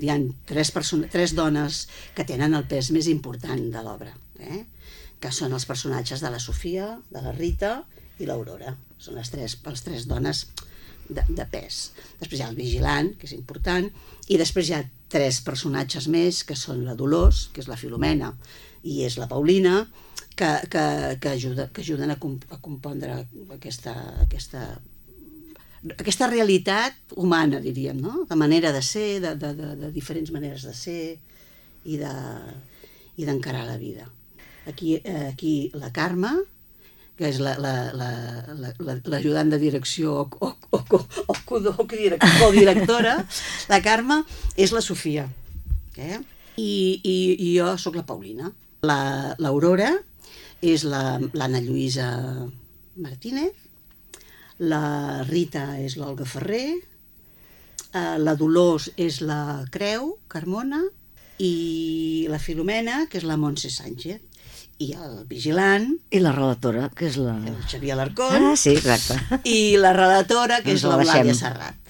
Hi ha tres dones que tenen el pes més important de l'obra, que són els personatges de la Sofia, de la Rita i l'Aurora. Són les tres dones de pes. Després hi ha el vigilant, que és important, i després hi ha tres personatges més, que són la Dolors, que és la Filomena, i és la Paulina, que ajuden a compondre aquesta realitat humana, diríem, no? De manera de ser, de diferents maneres de ser i d'encarar la vida. Aquí la Carme, que és l'ajudant de direcció o codirectora, la Carme és la Sofia, i jo sóc la Paulina. L'Aurora és l'Anna Lluïsa Martínez, la Rita és l'Olga Ferrer, la Dolors és la Creu Carmona i la Filomena, que és la Montse Sánchez. I el vigilant... I la relatora, que és la... El Xavier Alarcón. Ah, sí, exacte. I la relatora, que és l'Eulàlia Serrat.